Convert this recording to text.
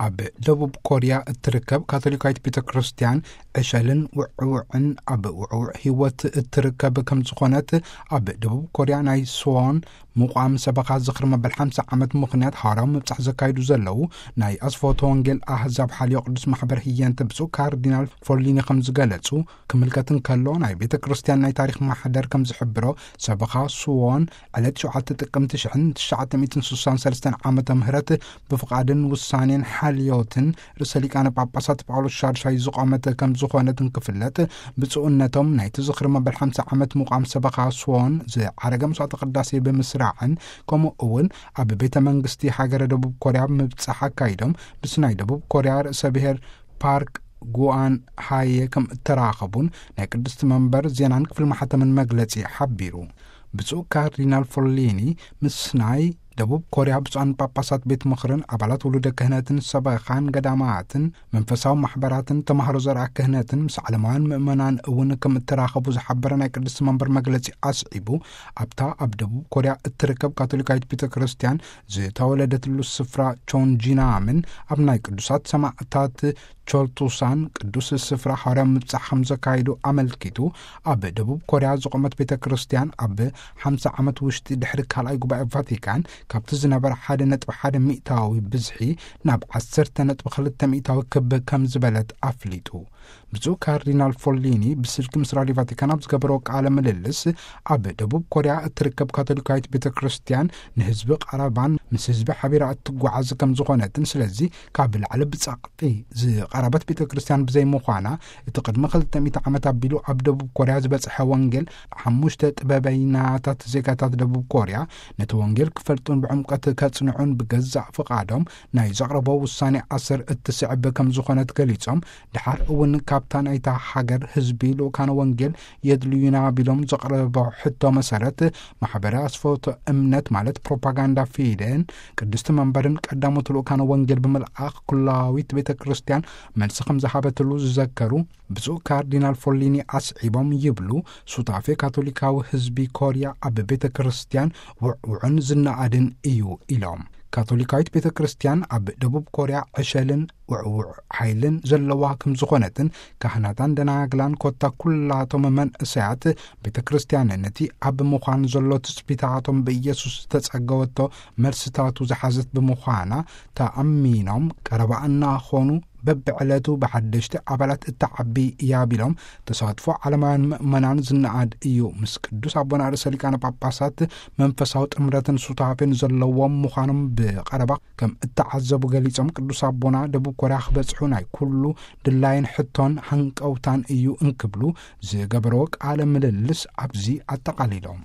ኣብ ደቡብ ኮርያ እትርከብ ካቶሊካዊት ቤተ ክርስቲያን ዕሸልን ውዕውዕን ኣብ ውዕውዕ ህይወት እትርከብ ከም ዝኾነት፣ ኣብ ደቡብ ኮርያ ናይ ስዎን ምቋም ሰበኻ ዝኽሪ መበል ሓምሳ ዓመት ምኽንያት ሃዋርያዊ ምብጻሕ ዘካይዱ ዘለዉ ናይ ኣስፎቶ ወንጌል ኣህዛብ ሓልዮ ቅዱስ ማሕበር ህየንተ ብፁዕ ካርዲናል ፎሊኒ ከም ዝገለጹ፣ ክምልከት እንከሎ፣ ናይ ቤተ ክርስቲያን ናይ ታሪኽ ማሕደር ከም ዝሕብሮ፣ ሰበኻ ስዎን ዕለት ሸውዓተ ጥቅምቲ ሽሕን ትሽዓተ ሚእትን ስሳን ሰለስተን ዓመተ ምህረት ብፍቓድን ውሳኔን ሓልዮትን ርእሰ ሊቃነ ጳጳሳት ጳውሎስ ሻድሻይ ዝቖመት ከም ዝኾነት እንክፍለጥ፣ ብፁዕነቶም ናይቲ ዝኽሪ መበል ሓምሳ ዓመት ምቋም ሰበኻ ስዎን ዝዓረገ መስዋዕተ ቅዳሴ ብምስራዕን፣ ከምኡ እውን ኣብ ቤተ መንግስቲ ሃገረ ደቡብ ኮርያ ምብጻሕ ኣካይዶም፣ ምስ ናይ ደቡብ ኮርያ ርእሰ ብሔር ፓርክ ጉዋን ሃየ ከም እተራኸቡን ናይ ቅድስቲ መንበር ዜናን ክፍሊ ማሕተምን መግለጺ ሓቢሩ። ብፁዕ ካርዲናል ፎሊኒ ምስ ናይ ደቡብ ኮርያ ብፁዓን ጳጳሳት ቤት ምኽርን ኣባላት ውሉደ ክህነትን ሰበኻን ገዳማትን መንፈሳዊ ማሕበራትን ተማሃሮ ዘርኣ ክህነትን ምስ ዓለማውያን ምእመናን እውን ከም እተራኸቡ ዝሓበረ ናይ ቅድስቲ መንበር መግለጺ ኣስዒቡ፣ ኣብታ ኣብ ደቡብ ኮርያ እትርከብ ካቶሊካዊት ቤተ ክርስቲያን ዝተወለደትሉ ስፍራ ቾንጂናምን ኣብ ናይ ቅዱሳት ሰማዕታት ቾልቱሳን ቅዱስ ስፍራ ሃዋርያዊ ምብጻሕ ከም ዘካየዱ ኣመልኪቱ፣ ኣብ ደቡብ ኮርያ ዝቖመት ቤተ ክርስቲያን ኣብ ሓምሳ ዓመት ውሽጢ ድሕሪ ካልኣይ ጉባኤ ቫቲካን ካብቲ ዝነበረ ሓደ ነጥቢ ሓደ ሚእታዊ ብዝሒ ናብ ዓሰርተ ነጥቢ ክልተ ሚእታዊ ክብ ከም ዝበለት ኣፍሊጡ። ብፁዕ ካርዲናል ፎሊኒ ብስልኪ ምስ ራዲዮ ቫቲካን ኣብ ዝገበሮ ቃለ ምልልስ፣ ኣብ ደቡብ ኮርያ እትርከብ ካቶሊካዊት ቤተ ክርስቲያን ንህዝቢ ቀረባን ምስ ህዝቢ ሓቢራ እትጓዓዝ ከም ዝኾነትን፣ ስለዚ ካብ ላዕሊ ብጻ ዝቐረበት ቤተ ክርስቲያን ብዘይምዃና፣ እቲ ቅድሚ ክልተ ሚእቲ ዓመት ኣቢሉ ኣብ ደቡብ ኮርያ ዝበጽሐ ወንጌል፣ ሓሙሽተ ጥበበይናታት ዜጋታት ደቡብ ኮርያ ነቲ ወንጌል ክፈልጡን ብዕምቀት ከጽንዑን ብገዛእ ፍቓዶም ናይ ዘቕረቦ ውሳኔ ኣሰር እትስዕብ ከም ዝኾነት ገሊጾም፣ ድሓር እውን ካብታ ናይታ ሃገር ህዝቢ ልኡካነ ወንጌል የድልዩና ቢሎም ዘቕረቦ ሕቶ መሰረት፣ ማሕበረ ኣስፈውቶ እምነት ማለት ፕሮፓጋንዳ ፊደን ቅድስቲ መንበርን ቀዳሞት ልኡካነ ወንጌል ብምልኣኽ ኩላዊት ቤተ ክርስቲያን መልሲ ከም ዝሃበትሉ ዝዘከሩ ብፁዕ ካርዲናል ፎሊኒ ኣስዒቦም ይብሉ፣ ሱታፌ ካቶሊካዊ ህዝቢ ኮርያ ኣብ ቤተ ክርስቲያን ውዕውዕን ዝነኣድን እዩ ኢሎም። ካቶሊካዊት ቤተ ክርስቲያን ኣብ ደቡብ ኮርያ ዕሸልን ውዕውዕ ሓይልን ዘለዋ ከም ዝኾነትን፣ ካህናታን ደናግላን ኮታ ኩላቶም መንእሰያት ቤተ ክርስቲያን ነቲ ኣብ ምዃን ዘሎ ትጽቢታቶም ብኢየሱስ ዝተጸገወቶ መልስታቱ ዝሓዘት ብምዃና ተኣሚኖም ቀረባ እናኾኑ በብዕለቱ ብሓደሽቲ ኣባላት እትዓቢ እያ ቢሎም፣ ተሳትፎ ዓለማውያን ምእመናን ዝነኣድ እዩ። ምስ ቅዱስ ኣቦና ርእሰ ሊቃነ ጳጳሳት መንፈሳዊ ጥምረትን ሱታፌን ዘለዎም ምዃኖም ብቐረባ ከም እተዓዘቡ ገሊጾም፣ ቅዱስ ኣቦና ደቡብ ኮርያ ክበጽሑ ናይ ኩሉ ድላይን ሕቶን ሃንቀውታን እዩ እንክብሉ ዝገበርዎ ቃለ ምልልስ ኣብዚ ኣጠቓሊሎም።